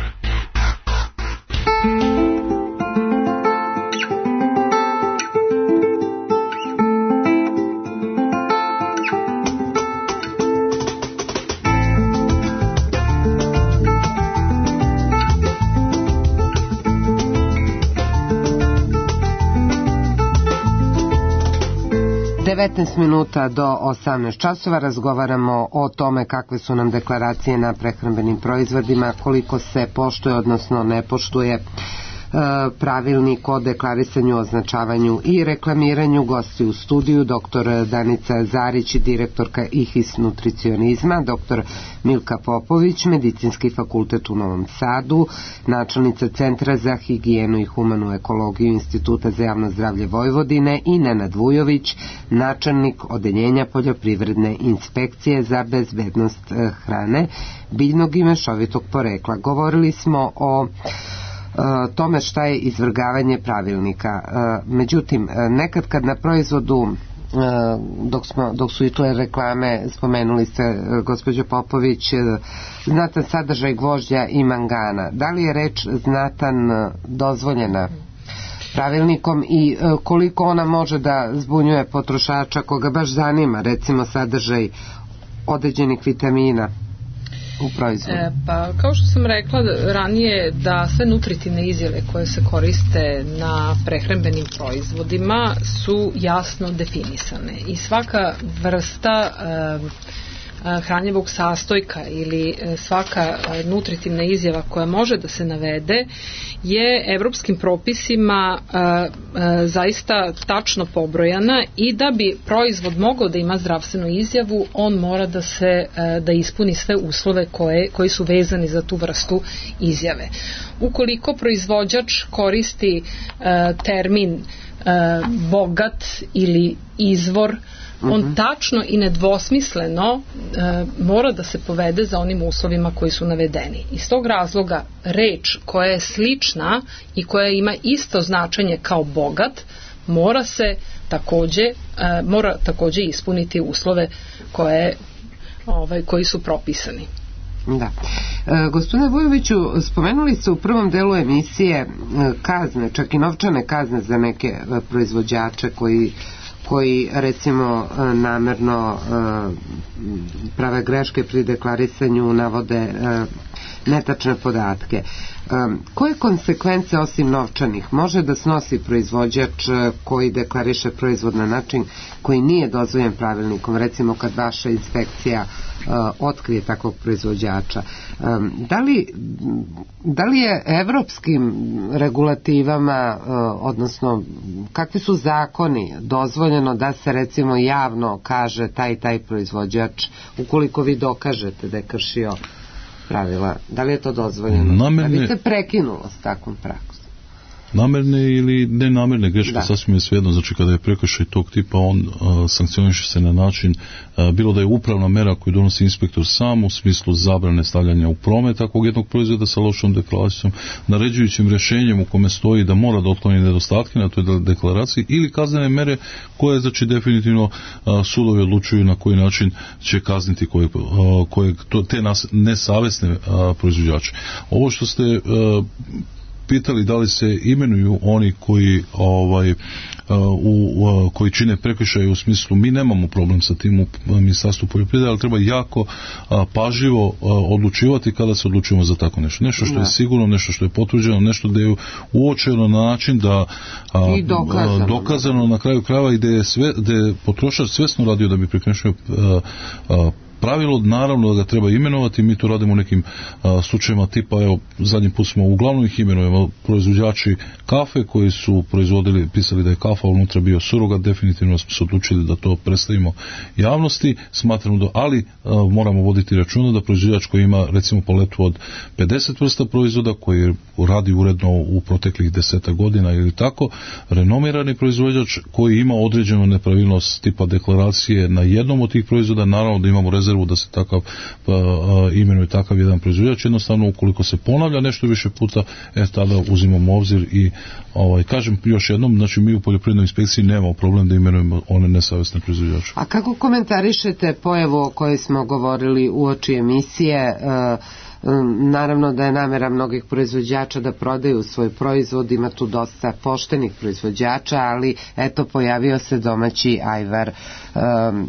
devetnaest minuta do osamnaest časova razgovaramo o tome kakve su nam deklaracije na prehrambenim proizvodima, koliko se poštuje, odnosno ne poštuje pravilnik o deklarisanju, označavanju i reklamiranju. Gosti u studiju doktor Danica Zarić, direktorka I H I S nutricionizma, doktor Milka Popović, Medicinski fakultet u Novom Sadu, načelnica Centra za higijenu i humanu ekologiju Instituta za javno zdravlje Vojvodine, i Nenad Vujović, načelnik odeljenja poljoprivredne inspekcije za bezbednost hrane biljnog i mešovitog porekla. Govorili smo o tome šta je izvrgavanje pravilnika. Međutim, nekad kad na proizvodu, dok, smo, dok su i tu reklame, spomenuli ste, gospođo Popović, znatan sadržaj gvožđa i mangana, da li je reč znatan dozvoljena pravilnikom i koliko ona može da zbunjuje potrošača koga baš zanima, recimo, sadržaj određenih vitamina u proizvodu?
E, pa kao što sam rekla ranije, da sve nutritivne izjave koje se koriste na prehrambenim proizvodima su jasno definisane i svaka vrsta e, hranjivog sastojka ili svaka nutritivna izjava koja može da se navede je evropskim propisima a, a, zaista tačno pobrojana, i da bi proizvod mogao da ima zdravstvenu izjavu, on mora da se a, da ispuni sve uslove koje, koji su vezani za tu vrstu izjave. Ukoliko proizvođač koristi a, termin a, bogat ili izvor, on uh-huh. tačno i nedvosmisleno e, mora da se povede za onim uslovima koji su navedeni. Iz tog razloga reč koja je slična i koja ima isto značenje kao bogat mora se takođe e, mora takođe ispuniti uslove koje, ovaj, koji su propisani.
Da. E, gospodine Vujoviću, spomenuli ste u prvom delu emisije kazne, čak i novčane kazne za neke proizvođače koji koji recimo namerno prave greške pri deklarisanju, navode netačne podatke. Koje konsekvence osim novčanih može da snosi proizvođač koji deklariše proizvod na način koji nije dozvoljen pravilnikom, recimo kad vaša inspekcija otkrije takvog proizvođača? Da li, da li je evropskim regulativama, odnosno kakvi su zakoni, dozvoljeno da se recimo javno kaže taj taj proizvođač, ukoliko vi dokažete da je kršio pravila? Da li je to dozvoljeno?
Na mene...
Da bi se prekinulo s takvom praksom?
namerne ili nenamerne greške, da. Sasvim je svejedno. Znači kada je prekršaj tog tipa, on a, sankcioniše se na način, a, bilo da je upravna mera koju donosi inspektor sam u smislu zabrane stavljanja u promet takvog jednog proizvoda sa lošom deklaracijom, naređujućim rješenjem u kome stoji da mora da otkloni nedostatke na toj deklaraciji, ili kaznene mere koje, znači, definitivno a, sudovi odlučuju na koji način će kazniti koje, a, koje to, te nas, nesavesne a, proizvođače. Ovo što ste a, pitali da li se imenuju oni koji ovaj u, u koji čine prekršaje, u smislu mi nemamo problem sa tim u Ministarstvu poljoprivrede, ali treba jako a, pažljivo a, odlučivati kada se odlučujemo za tako nešto. Nešto što je sigurno, nešto što je potvrđeno, nešto da je uočeno na način da a, dokazano. A, dokazano na kraju krajeva i da je, sve, da je potrošač svesno radio da bi prekršio a, a, pravilo, naravno da ga treba imenovati. Mi to radimo u nekim a, slučajima tipa, evo, zadnji put smo uglavnom ih imenujemo proizvođači kafe koji su proizvodili, pisali da je kafa unutra bio surogat, definitivno smo se odlučili da to predstavimo javnosti, smatramo da, ali a, moramo voditi računa da proizvođač koji ima recimo paletu od pedeset vrsta proizvoda, koji radi uredno u proteklih deseta godina ili tako, renomirani proizvođač koji ima određenu nepravilnost tipa deklaracije na jednom od tih proizvoda, naravno da imamo rezervu da se takav uh, imenuje takav jedan proizvođač. Jednostavno, ukoliko se ponavlja nešto više puta, e, tada uzimamo obzir i ovaj, kažem još jednom, znači mi u poljoprivrednoj inspekciji nemamo problem da imenujemo one nesavesne proizvođače.
A kako komentarišete pojavu o kojoj smo govorili uoči emisije? Uh, Naravno da je namera mnogih proizvođača da prodaju svoj proizvod, ima tu dosta poštenih proizvođača, ali eto pojavio se domaći ajvar um,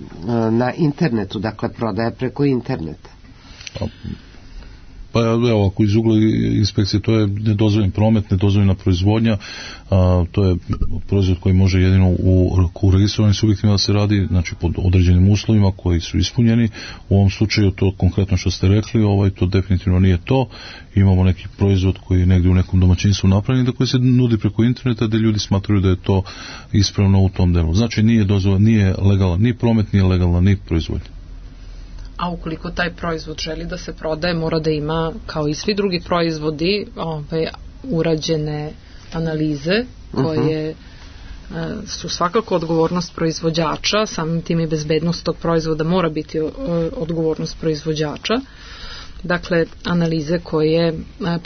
na internetu, dakle prodaja preko interneta.
Pa evo, ako iz ugla inspekcije, to je nedozvoljen promet, nedozvoljena proizvodnja, a, to je proizvod koji može jedino u, u registrovanim subjektima da se radi, znači pod određenim uslovima koji su ispunjeni. U ovom slučaju to konkretno što ste rekli, ovaj, to definitivno nije to. Imamo neki proizvod koji je negdje u nekom domaćinstvu napravljen, da koji se nudi preko interneta, da ljudi smatraju da je to ispravno u tom delu. Znači nije dozvoljen, nije legalan ni promet, nije legalna ni proizvodnja.
A ukoliko taj proizvod želi da se prodaje, mora da ima, kao i svi drugi proizvodi, ove, urađene analize koje uh-huh. su svakako odgovornost proizvođača, samim tim i bezbednost tog proizvoda mora biti odgovornost proizvođača. Dakle, analize koje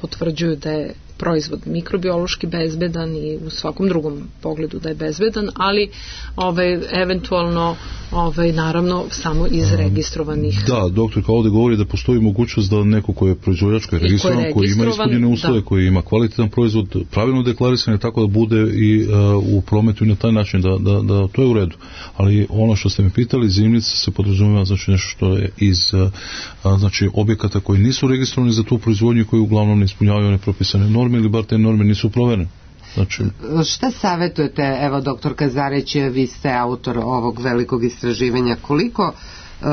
potvrđuju da je proizvod mikrobiološki bezbedan i u svakom drugom pogledu da je bezbedan, ali ovaj, eventualno ovaj, naravno samo iz registrovanih.
Da, doktor kao ovdje govori da postoji mogućnost da neko ko je proizvođač, koji je registrovan, koji ima ispunjene uslove, da. Koji ima kvalitetan proizvod, pravilno deklarisan, tako da bude i uh, u prometu i na taj način da, da, da to je u redu. Ali ono što ste me pitali, zimnica se podrazumijeva, znači nešto što je iz uh, znači objekata koji nisu registrovani za tu proizvodnju, koji uglavnom ne ispunjavaju one propisane norme ili bar te norme nisu proverene. Znači...
Šta savjetujete, evo doktor Kazarić, vi ste autor ovog velikog istraživanja, koliko uh,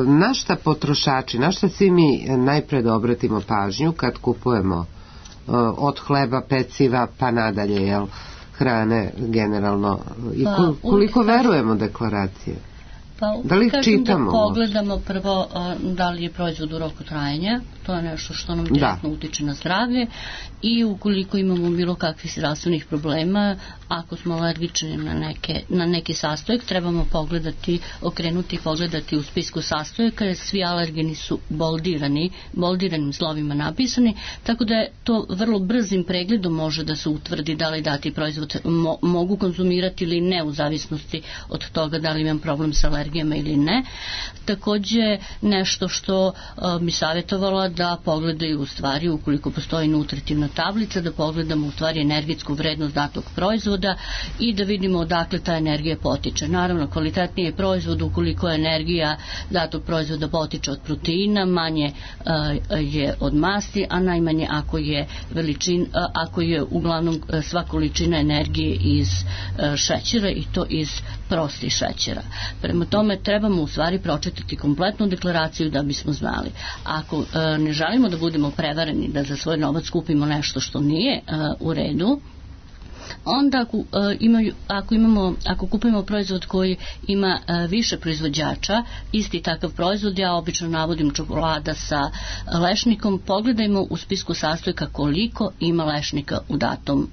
na šta potrošači, na šta svi mi najpre da obratimo pažnju kad kupujemo uh, od hleba, peciva pa nadalje, jel, hrane generalno, i koliko verujemo deklaracije?
Pa,
da li ih čitamo?
Da pogledamo prvo da li je proizvod u roku trajanja, to je nešto što nam direktno utiče na zdravlje, i ukoliko imamo bilo kakvih zdravstvenih problema, ako smo alergični na, neke, na neki sastojak, trebamo pogledati, okrenuti i pogledati u spisku sastojaka, jer svi alergeni su boldirani, boldiranim slovima napisani, tako da je to vrlo brzim pregledom može da se utvrdi da li dati proizvod mo, mogu konzumirati ili ne, u zavisnosti od toga da li imam problem sa alergijama ili ne. Takođe, nešto što uh, mi savjetovala da pogledaju u stvari, ukoliko postoji nutritivna tablica, da pogledamo u stvari energetsku vrednost datog proizvoda i da vidimo odakle ta energija potiče. Naravno, kvalitetniji je proizvod ukoliko je energija datog proizvoda potiče od proteina, manje uh, je od masti, a najmanje ako je veličin, uh, ako je uglavnom uh, sva količina energije iz uh, šećera, i to iz prostih šećera. Prema tome trebamo u stvari pročitati kompletnu deklaraciju da bismo znali. Ako uh, ne želimo da budemo prevareni da za svoj novac kupimo nešto što nije uh, u redu, onda ako, uh, imaju, ako, imamo, ako kupimo proizvod koji ima uh, više proizvođača, isti takav proizvod, ja obično navodim čokolada sa lešnikom, pogledajmo u spisku sastojka koliko ima lešnika u datom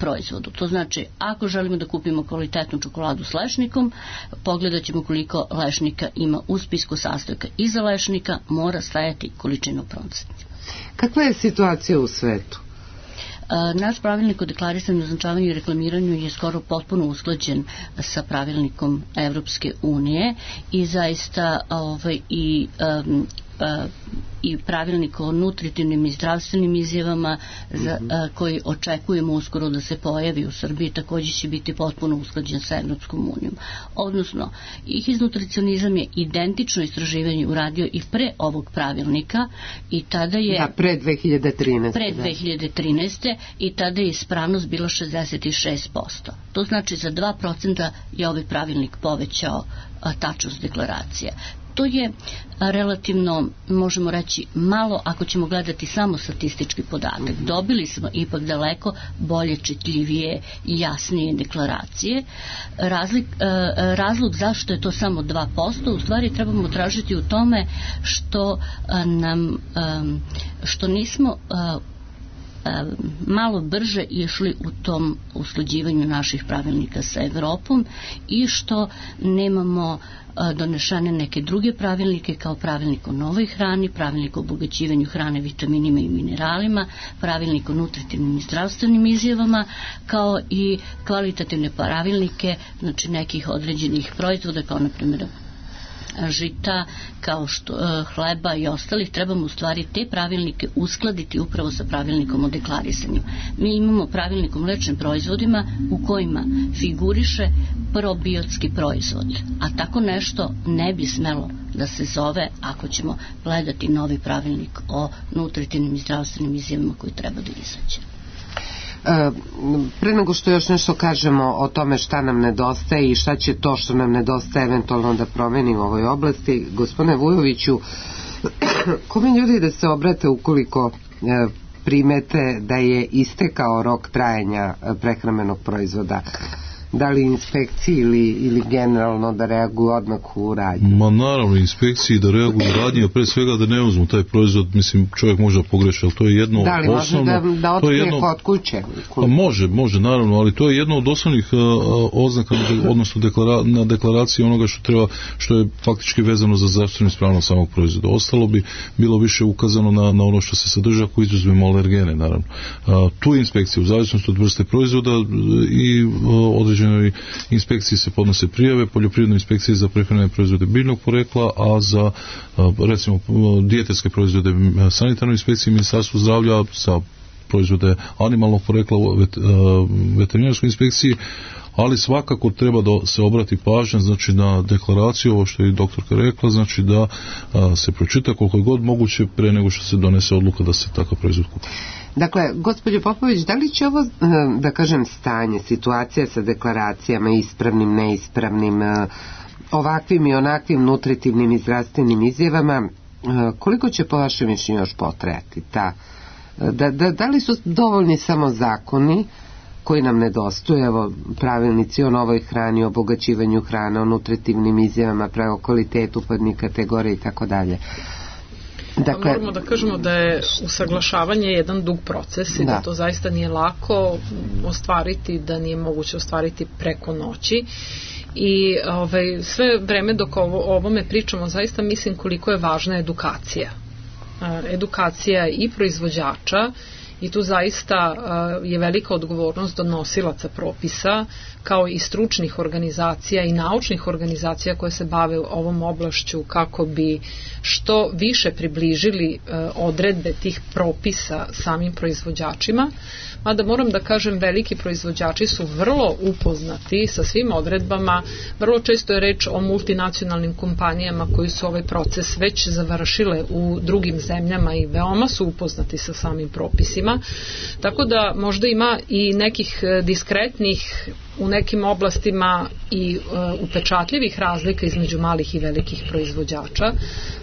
proizvodu. To znači, ako želimo da kupimo kvalitetnu čokoladu s lešnikom, pogledat ćemo koliko lešnika ima u spisku sastojaka. Iza lešnika mora stajati količina u procenti.
Kakva je situacija u svetu?
Naš pravilnik o deklarisanju, označavanju i reklamiranju je skoro potpuno usklađen sa pravilnikom Evropske unije i zaista ovaj, i um, uh, i pravilnik o nutritivnim i zdravstvenim izjavama za, a, koji očekujemo uskoro da se pojavi u Srbiji, također će biti potpuno usklađen sa Evropskom unijom. Odnosno, IHIZ nutricionizam je identično istraživanje uradio i pre ovog pravilnika i tada je...
Da, pre dve hiljade trinaeste.
Pre dve hiljade trinaeste i tada je ispravnost bila šezdeset šest posto. To znači za dva procenta je ovaj pravilnik povećao a, tačnost deklaracije. To je relativno, možemo reći, malo ako ćemo gledati samo statistički podatak. Dobili smo ipak daleko bolje, čitljivije i jasnije deklaracije. Razlik, razlog zašto je to samo dva posto, u stvari trebamo tražiti u tome što nam, što nismo malo brže išli u tom usklađivanju naših pravilnika sa Evropom i što nemamo donešane neke druge pravilnike kao pravilnik o novoj hrani, pravilnik o obogaćivanju hrane vitaminima i mineralima, pravilnik o nutritivnim i zdravstvenim izjavama, kao i kvalitativne pravilnike, znači nekih određenih proizvoda, kao na primjer žita, kao što e, hleba i ostalih. Trebamo u stvari te pravilnike uskladiti upravo sa pravilnikom o deklarisanju. Mi imamo pravilnik o mlečnim proizvodima u kojima figuriše probiotski proizvod, a tako nešto ne bi smelo da se zove ako ćemo gledati novi pravilnik o nutritivnim i zdravstvenim izjavama koji treba da izađe.
Pre nego što još nešto kažemo o tome šta nam nedostaje i šta će to što nam nedostaje eventualno da promeni u ovoj oblasti, gospodine Vujoviću, kome ljudi da se obrate ukoliko primete da je istekao rok trajanja prehrambenog proizvoda? Da li inspekciji ili, ili generalno da reaguju odmah u radnji?
Ma naravno, inspekciji da reaguju u radnji, a pre svega da ne uzmu taj proizvod, mislim, čovjek možda pogreši, ali to je jedno
da li
osnovno...
Da li može da, da otkrije jedno, kod kuće?
Pa može, može, naravno, ali to je jedno od osnovnih uh, oznaka, odnosno deklara, na deklaraciji onoga što treba, što je faktički vezano za zdravstvenu ispravnost samog proizvoda. Ostalo bi bilo više ukazano na, na ono što se sadrža, ako izuzmemo alergene, naravno. Uh, tu inspekcija, u zavisnosti od vrste proizvoda i uh, određenoj inspekciji se podnose prijave, poljoprivrednoj inspekciji za prehrambene proizvode biljnog porekla, a za recimo dijetetske proizvode sanitarnoj inspekciji Ministarstvu zdravlja, za proizvode animalnog porekla vet, veterinarskoj inspekciji, ali svakako treba da se obrati pažnja, znači na deklaraciju, ovo što je i doktorka rekla, znači da a, se pročita koliko je god moguće pre nego što se donese odluka da se takav proizvod kupi.
Dakle, gospođo Popović, da li će ovo, da kažem, stanje, situacija sa deklaracijama, ispravnim, neispravnim, ovakvim i onakvim nutritivnim i zdravstvenim izjavama, koliko će po vašem mišljenju još potrajati? Ta, da, da, da li su dovoljni samo zakoni koji nam nedostaju, evo, pravilnici o novoj hrani, o obogaćivanju hrane, o nutritivnim izjavama, pravo kvalitetu podnih kategorija i tako dalje?
Dakle, moramo da kažemo da je usaglašavanje jedan dug proces i da, da to zaista nije lako ostvariti, da nije moguće ostvariti preko noći i ovaj, sve vreme dok ovo, o ovome pričamo zaista mislim koliko je važna edukacija. Edukacija i proizvođača i tu zaista je velika odgovornost donosilaca propisa kao i stručnih organizacija i naučnih organizacija koje se bave ovom oblašću kako bi što više približili odredbe tih propisa samim proizvođačima, mada moram da kažem veliki proizvođači su vrlo upoznati sa svim odredbama, vrlo često je reč o multinacionalnim kompanijama koji su ovaj proces već završile u drugim zemljama i veoma su upoznati sa samim propisima, tako da možda ima i nekih diskretnih u nekim oblastima i uh, upečatljivih razlika između malih i velikih proizvođača,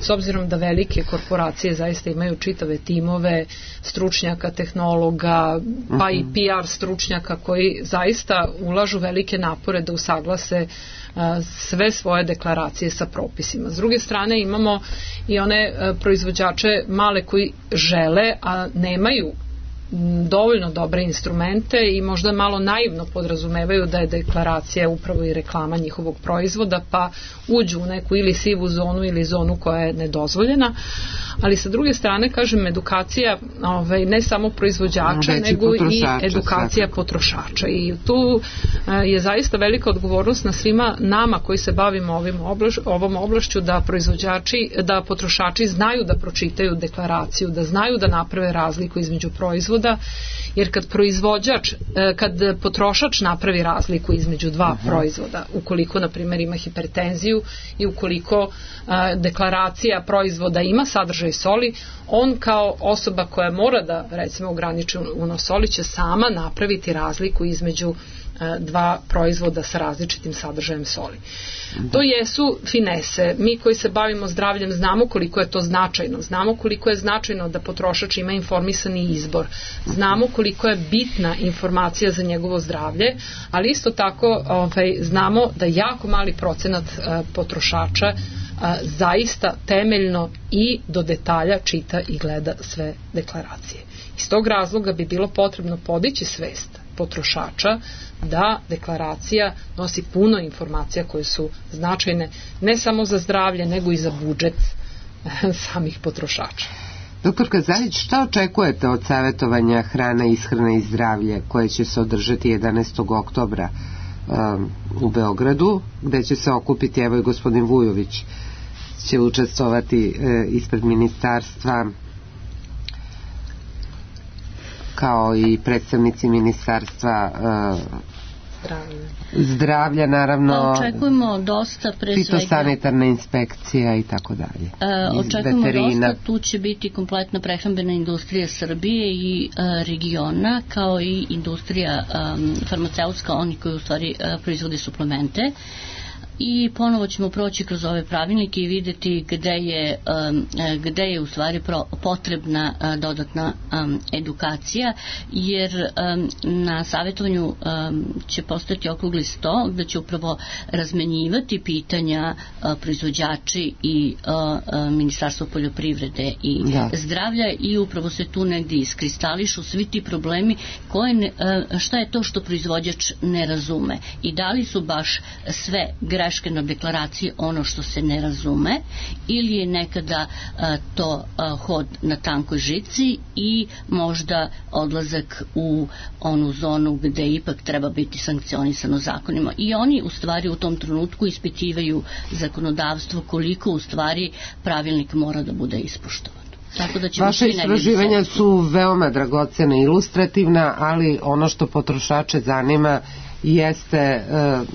s obzirom da velike korporacije zaista imaju čitave timove stručnjaka, tehnologa, pa i P R stručnjaka koji zaista ulažu velike napore da usaglase uh, sve svoje deklaracije sa propisima. S druge strane imamo i one uh, proizvođače male koji žele, a nemaju dovoljno dobre instrumente i možda malo naivno podrazumevaju da je deklaracija upravo i reklama njihovog proizvoda, pa uđu u neku ili sivu zonu ili zonu koja je nedozvoljena, ali sa druge strane, kažem, edukacija ovaj, ne samo proizvođača,
Veći
nego i edukacija
svakako.
potrošača, i tu je zaista velika odgovornost na svima nama koji se bavimo ovim oblaš, ovom oblašću, da proizvođači, da potrošači znaju da pročitaju deklaraciju, da znaju da naprave razliku između proizvoda, jer kad proizvođač, kad potrošač napravi razliku između dva uh-huh. proizvoda, ukoliko na primjer ima hipertenziju i ukoliko a, deklaracija proizvoda ima sadržaj soli, on kao osoba koja mora da recimo ograniči unos soli će sama napraviti razliku između dva proizvoda sa različitim sadržajem soli. To jesu finese. Mi koji se bavimo zdravljem znamo koliko je to značajno. Znamo koliko je značajno da potrošač ima informisani izbor. Znamo koliko je bitna informacija za njegovo zdravlje, ali isto tako ovaj, znamo da jako mali procenat uh, potrošača uh, zaista temeljno i do detalja čita i gleda sve deklaracije. Iz tog razloga bi bilo potrebno podići svest potrošača da deklaracija nosi puno informacija koje su značajne ne samo za zdravlje, nego i za budžet samih potrošača.
Doktorka Zajić, šta očekujete od savjetovanja Hrana, ishrana i zdravlje koje će se održati jedanaestog oktobra um, u Beogradu, gde će se okupiti, evo i gospodin Vujović će učestvovati e, ispred ministarstva, kao i predstavnici ministarstva zdravlja, zdravlja naravno,
očekujemo dosta, pre svega
fitosanitarna inspekcija i tako dalje.
Očekujemo veterina. Dosta, tu će biti kompletna prehrambena industrija Srbije i a, regiona, kao i industrija a, farmaceutska, oni koji u stvari a, proizvode suplemente. I ponovo ćemo proći kroz ove pravilnike i vidjeti gde je, um, gde je u stvari pro, potrebna uh, dodatna um, edukacija, jer um, na savjetovanju um, će postojati okrugli sto gde će upravo razmenjivati pitanja uh, proizvođači i uh, uh, Ministarstvo poljoprivrede i da. zdravlja, i upravo se tu negdje iskristališu svi ti problemi koje ne, uh, šta je to što proizvođač ne razume i da li su baš sve greške na deklaraciji ono što se ne razume, ili je nekada a, to a, hod na tankoj žici i možda odlazak u onu zonu gde ipak treba biti sankcionisano zakonima. I oni u stvari u tom trenutku ispitivaju zakonodavstvo koliko u stvari pravilnik mora da bude ispoštovan. Tako da
Vaše istraživanja su veoma dragocena i ilustrativna, ali ono što potrošače zanima jeste uh,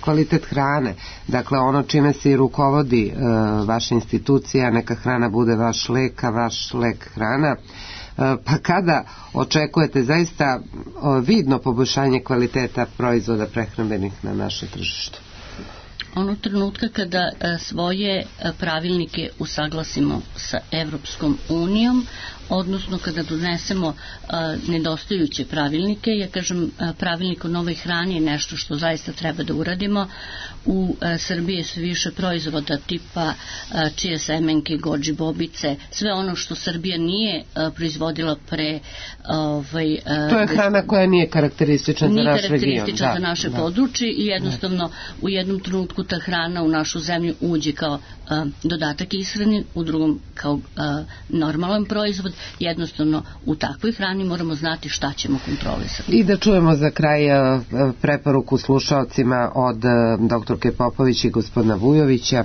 kvalitet hrane. Dakle, ono čime se i rukovodi uh, vaša institucija, neka hrana bude vaš lek, a vaš lek hrana. Uh, pa kada očekujete zaista uh, vidno poboljšanje kvaliteta proizvoda prehrambenih na našem tržištu?
Onog trenutka kada a, svoje a, pravilnike usaglasimo sa Evropskom unijom, odnosno kada donesemo a, nedostajuće pravilnike, ja kažem a, pravilnik o novoj hrani je nešto što zaista treba da uradimo. U a, Srbiji su više proizvoda tipa a, čije semenke, gođi, bobice, sve ono što Srbija nije a, proizvodila pre ovaj, a,
to je hrana koja nije karakteristična
nije
za naš region.
Nije karakteristična za naše
da.
područje i jednostavno u jednom trenutku ta hrana u našu zemlju uđe kao a, dodatak ishrani, u drugom kao a, normalan proizvod. Jednostavno u takvoj hrani moramo znati šta ćemo kontrolisati.
I da čujemo za kraj a, preporuku slušaocima od a, doktorke Popović i gospodina Vujovića.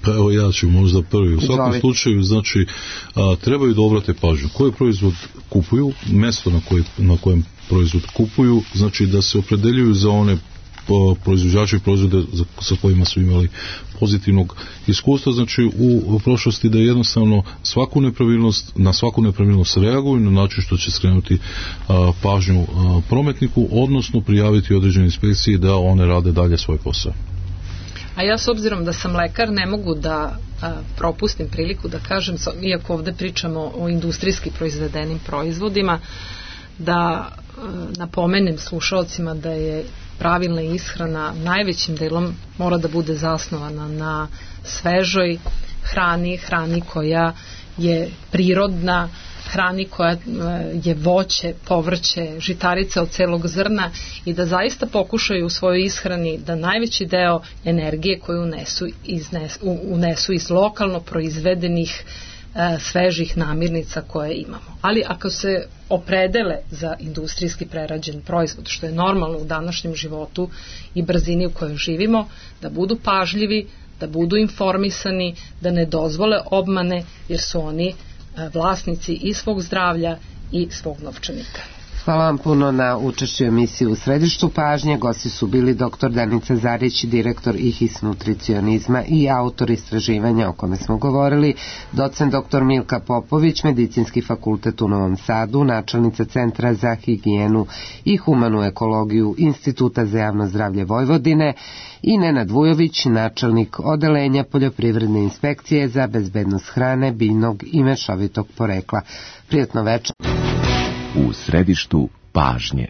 Pa evo ja ću možda prvi. U svakom Izvolite. slučaju, znači, a, trebaju da obrate pažnju. Koji proizvod kupuju, mesto na, koje, na kojem proizvod kupuju, znači da se opredeljuju za one proizvođači proizvode sa kojima su imali pozitivnog iskustva, znači u, u prošlosti da jednostavno svaku nepravilnost, na svaku nepravilnost reaguju na način što će skrenuti a, pažnju a, prometniku, odnosno prijaviti određene inspekcije da one rade dalje svoj posao.
A ja s obzirom da sam lekar ne mogu da a, propustim priliku da kažem, iako ovde pričamo o industrijski proizvedenim proizvodima, da a, napomenem slušalcima da je pravilna ishrana najvećim delom mora da bude zasnovana na svežoj hrani, hrani koja je prirodna, hrani koja je voće, povrće, žitarice od celog zrna i da zaista pokušaju u svojoj ishrani da najveći deo energije koju unesu, iznes, unesu iz lokalno proizvedenih e, svežih namirnica koje imamo. Ali ako se opredele za industrijski prerađen proizvod, što je normalno u današnjem životu i brzini u kojoj živimo, da budu pažljivi, da budu informisani, da ne dozvole obmane, jer su oni vlasnici i svog zdravlja i svog novčanika.
Hvala vam puno na učešću emisiji U središtu pažnje. Gosti su bili doktor Danica Zarić, direktor I H I S nutricionizma i autor istraživanja o kome smo govorili, docent doktor Milka Popović, Medicinski fakultet u Novom Sadu, načelnica Centra za higijenu i humanu ekologiju Instituta za javno zdravlje Vojvodine i Nenad Vujović, načelnik odelenja Poljoprivredne inspekcije za bezbednost hrane, biljnog i mešovitog porekla. Prijatno večer.
U središtu pažnje.